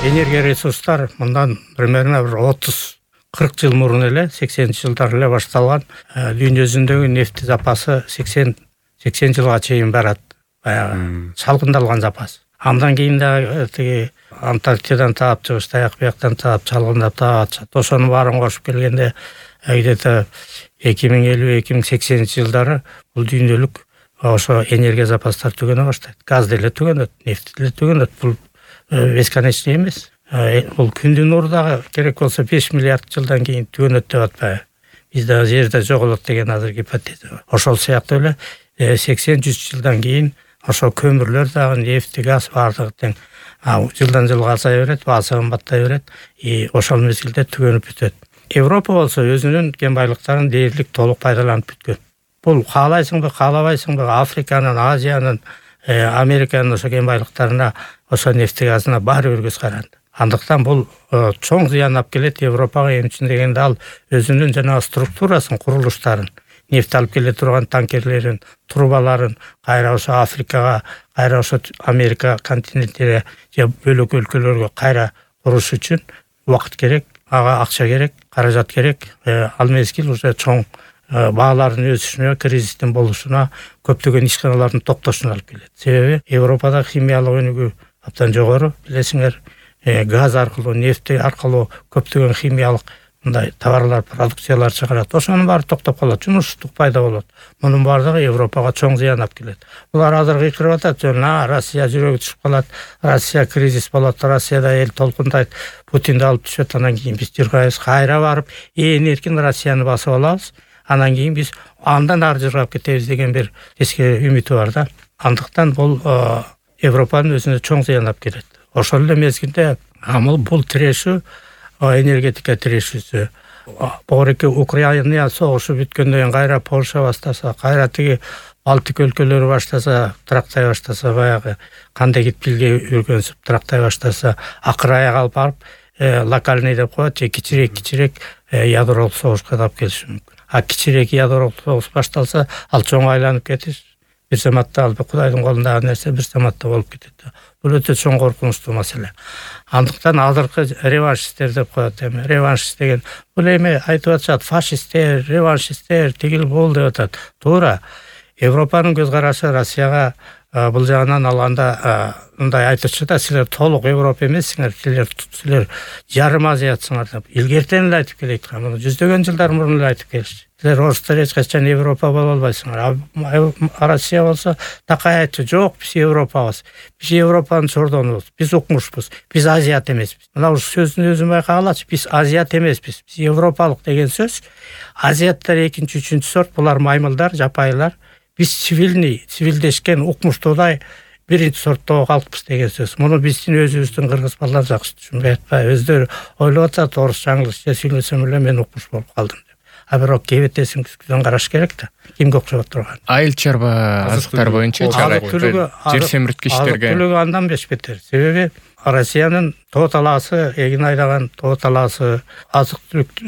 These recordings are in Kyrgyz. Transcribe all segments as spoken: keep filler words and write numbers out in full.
энергия ресурстар мындан примерно бир отуз кырк жыл мурун эле сексенинчи жылдар эле башталган. Дүйнө жүзүндөгү нефти запасы сексен жылга чейин барат. Баягы чалгындалган запас. Андан кийин да тиги Антарктидадан таап чыгыш, таяк бияктан таап чалгындап таап атышат. Ошонун баарын кошуп келгенде где-то эки миң элүү эки миң сексенинчи жылдары бул дүйнөлүк ошо энергия запастары түгөнө баштайт. Газ деле түгөнөт, нефт деле түгөнөт. Бул бесконечный эмес. Бул күндүн нуру дагы керек болсо беш миллиард жылдан кийин түгөнөт деп атпайбы. Бизде жерде жоголот деген азыр гипотеза бар. Ошол сыяктуу эле сексен жүз жылдан кийин ошо көмүрлөр дагы, нефти, газ баардыгы тең жылдан жылга азая берет, баасы кымбаттай берет. И ошол мезгилде түгөнүп бүтөт. Европа болсо өзүнүн кен байлыктарын дээрлик толук пайдаланып бүткөн. Бул каалайсыңбы, каалабайсыңбы, Африканын, Азиянын, Американын ошо кен байлыктарына, ошо нефти газына баары бир көз каранды. Андыктан бул чоң зыян алып келет Европага. Эми үчүн дегенде ал өзүнүн жана структурасын, курулуштарын, нефт алып келе турган танкерлерин, трубаларын кайра ошо Африкага, кайра ошо Америка континентине же бөлөк өлкөлөргө кайра куруш үчүн убакыт керек, ага акча керек, каражат керек. Ал мезгил уже чоң баалардын өсүшүнө, кризистин болушуна, көптөгөн ишканалардын токтошуна алып келет. Себеби Европада химиялык өнүгүү абдан жогору, билесиңер. Газ аркылуу, нефти аркылуу көптөгөн химиялык мындай товарлар, продукциялар чыгарат. Ошонун баары токтоп калат, жумушсуздук пайда болот. Мунун баардыгы Европага чоң зыян алып келет. Булар азыр кыйкырып атат, жана Россия жүрөгү түшүп калат, Россия кризис болот, Россияда эл толкундайт, Путинди алып түшөт, анан кийин биз жыргайбыз, кайра барып ээн эркин Россияны басып алабыз. Анан кийин биз андан ары жыргап кетебиз деген бир эски үмүтү бар да. Андыктан бул Европанын өзүнө чоң зыян алып келет. Ошол эле мезгилде амыл бул тирешүү, энергетика тирешүүсү, богореки Украина согушу бүткөндөн кийин кайра Польша баштаса, кайра тиги Балтик өлкөлөрү баштаса, трактай баштаса, баягы кандай китпилге үргөнсүп трактай баштаса, акыр аяк алып барып локальный деп коет, же кичирээк-кичирээк ядролук согушка алып келиши мүмкүн. А кичирээк ядролук согуш башталса, ал чоң айланып кетиш. Бир заматта ал Кудайдын колундагы нерсе бир заматта болуп кетет. Бул өтө чоң коркунучтуу маселе. Андыктан азыркы реваншисттер деп коет эми. Реваншист деген бул эми айтып атышат, фашисттер, реваншисттер, тигил бул деп атат. Туура. Европанын көз карашы Россияга бул жагынан алганда мындай айтышчу да, силер толук Европа эмессиңер, силер силер жарым азиятсыңар деп. Илгертен эле айтып келет. Муну жүздөгөн жылдар мурун эле айтып келишти. Силер орустар эч качан Европа боло албайсыңар. А Россия болсо такай айтчу, жок, биз Европабыз. Биз Европанын чордонубуз. Биз укмушпуз. Биз азият эмеспиз. Мына ушу сөздүн өзүн байкагалачы. Биз азият эмеспиз. Биз европалык деген сөз. Азиаттар экинчи, үчүнчү сорт, булар маймылдар, жапайлар. Биз цивилный, цивилдешкен, укмуштуудай биринчи сорттогу калкпыз деген сөз. Муну биздин өзүбүздүн кыргыз балдар жакшы түшүнбөй атпайбы. Өздөрү ойлоп атат, орусча, англисче сүйлөсөм эле мен укмуш болуп калдым деп. А бирок кебетесин күзгүдөн караш керек да. Кимге окшоп турган? Айыл чарба азыктар боюнча жер семирткичтерге. Азык түлүгү андан беш бетер. Себеби Россиянын тоо талаасы, эгин айдаган тоо талаасы, азык түлүк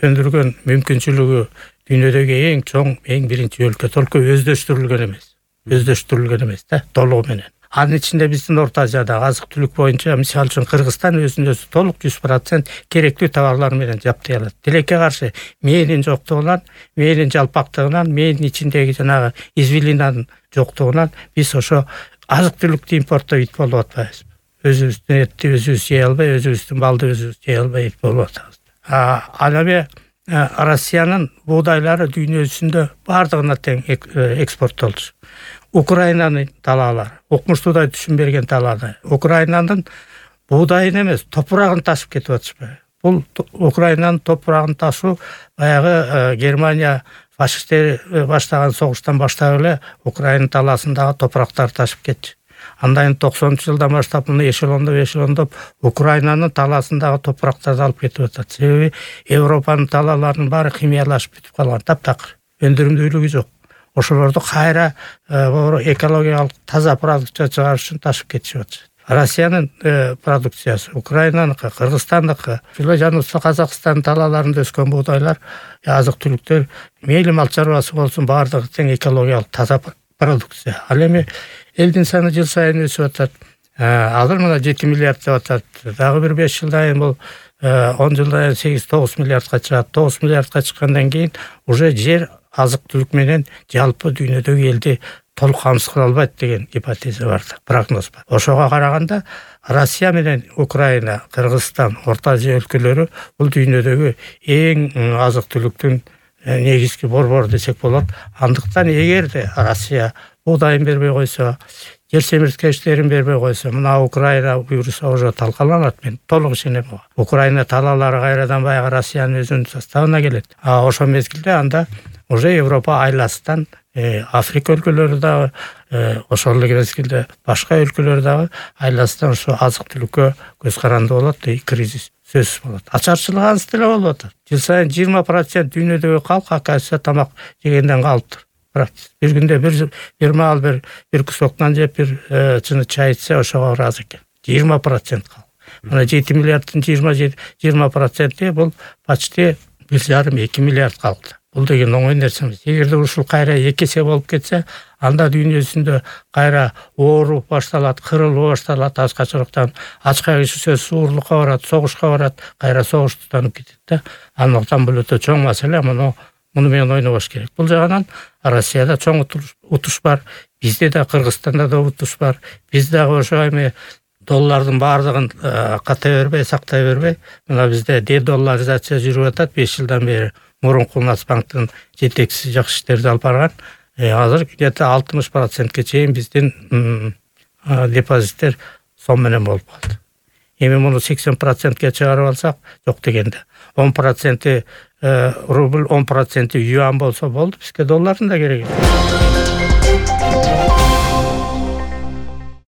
өндүргөн мүмкүнчүлүгү дүйнөдөгү эң чоң, эң биринчи өлкө. Толук өздөштүрүлгөн эмес. Өздөштүрүлгөн эмес да, толугу менен. Анын ичинде биздин Орто Азиядагы азык түлүк боюнча, мисалы үчүн Кыргызстан өзүн өзү толук жүз процент керектүү товарлар менен жаптай алат. Тилекке каршы мээнин жоктугунан, мээнин жалпактыгынан, мээнин ичиндеги жанагы извилинанын жоктугунан биз ошо азык түлүктү импорттоп ит болуп атпайбыз. Өзүбүздүн этти өзүбүз жей албай, өзүбүздүн балды өзүбүз жей албай ит болуп атабыз. Ал эми Россиянын буудайлары дүйнө жүзүндө бардыгына тең экспорттолчу. Украинанын талаалары, укмуштуудай түшүн берген талаалары. Украинанын буудайын эмес, топурагын ташып кетип атышпайбы? Бул Украинанын топурагын ташуу баягы Германия фашисттер баштаган согуштан баштап эле Украина талаасындагы топурактарды ташып кетчү. Андан токсонунчу жылдан баштап муну эшелондоп эшелондоп Украинанын талаасындагы топурактарды алып кетип атат. Себеби Европанын талааларынын баары химиялашып бүтүп калган, таптакыр. Өндүрүмдүүлүгү жок. Ошолорду кайра экологиялык таза продукция чыгарыш үчүн ташып кетишип атышат. Россиянын продукциясы, Украинаныкы, Кыргызстандыкы, жаныбызча Казакстан талааларында өскөн буудайлар, азык түлүктөр, мейли мал чарбасы болсун, баардыгы тең экологиялык таза продукция. Ал эми элдин саны жыл сайын өсүп атат. азыр мына жети миллиард деп атат. Дагы бир беш жылдан кийин бул он жылдан кийин сегиз тогуз миллиардка чыгат. тогуз миллиардка чыккандан кийин уже жер азык-түлүк менен жалпы дүйнөдөгү элди толук камсыз кыла албайт деген гипотеза бар, прогноз бар. Ошого караганда Россия менен Украина, Кыргызстан, Орто Азия өлкөлөрү бул дүйнөдөгү эң азык-түлүктүн негизги борбору десек болот. Андыктан эгерде Россия буудайын бербей койсо, жер семирткечтерин бербей койсо, мына Украина буюрса уже талкаланат. Мен толук ишенем. Украина талаалары кайрадан баягы Россиянын өзүнүн составына келет. А ошол мезгилде анда уже Европа айласынан Африка өлкөлөрү дагы, ошол эле мезгилде башка өлкөлөр дагы айласынан ушу азык-түлүккө көз каранды болот, кризис сөзсүз болот. Ачарчылык анысы деле болуп атат. Жыл сайын жыйырма процент дүйнөдөгү калк акача тамак жегенден калыптыр. Бир күндө бир бир маал бир бир кусок нан жеп, бир чыны чай ичсе ошого ыраазы экен. жыйырма процент калк. Мына жети миллиарддын жыйырма проценти бул почти бир жарым эки миллиард калды. Бул деген оңой нерсе эмес. Эгерде ушул кайра эки эсе болуп кетсе, анда дүйнө жүзүндө кайра ооруп башталат, кырылуу башталат, ачкачылыктан ачка киши сөзсүз уурлукка барат, согушка барат, кайра согуш тутанып кетет да. Андыктан бул өтө чоң маселе, муну муну менен ойнобош керек. Бул жагынан Россияда чоң утуш бар, бизде да Кыргызстанда да утуш бар. Биз дагы ошо эми доллардын баардыгын ката бербей, сактай бербей, мына бизде дедолларизация жүрүп атат беш жылдан бери. Мурунку Нацбанктын жетекчиси жакшы иштерди алып барган. Азыр где-то алтымыш процентке чейин биздин депозиттер сом менен болуп калды. Эми муну сексен процентке чыгарып алсак, жок дегенде он проценти рубль, он проценти юан болсо болду, бизге доллардын да кереги жок.